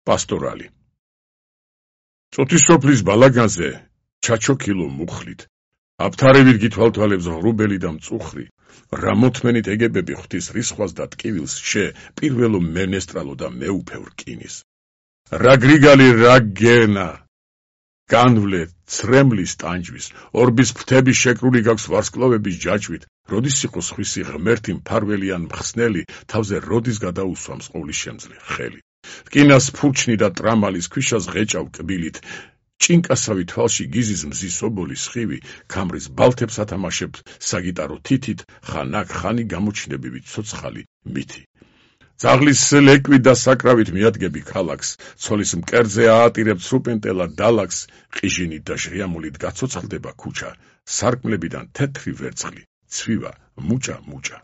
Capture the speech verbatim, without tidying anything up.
პასტორალი. წუთისოფლის ბალაგანზე ჩაჩოქილო მუხლით, აფთარებით გითვალთვალებს ღრუბელი და მწუხრი, რა მოთმენით ეგებები ღვთის რისხვას და ტკივილს შე პირველო მენესტრალო და მეუფევ რკინის. რა გრიგალი რა გენა, განვლე ცრემლის ტანჯვის, ორბის ფრთების შეკრული გაქვს ვარსკვლავების ჯაჭვით, როდის იყო სხვისი ღმერთი მფარველი ან მხსნელი, თავზე როდის გადაუსვამს ყოვლის შემძლე ხელი. რკინას ფურჩნი და ტრამალის ქვიშას ღეჭავ კბილით, ჭინკასავი თვალში გიზის მზის ობოლის სხივი, ქამრის ბალთებს ათამაშებთ საგიტარო თითით, ხან აქ ხანი გამოჩნდებივით ცოცხალი მითი. ძაღლის ლეკვით და საკრავით მიადგები ქალაქს, ცოლის მკერდზე აატირებთ სრუპენტელა დალაკს, ყიჟინით და ჟღიამულით გაცოცხლდება ქუჩა, სარკმლებიდან თეთრი ვერცხლი, ცვივა მუჭა მუჭა.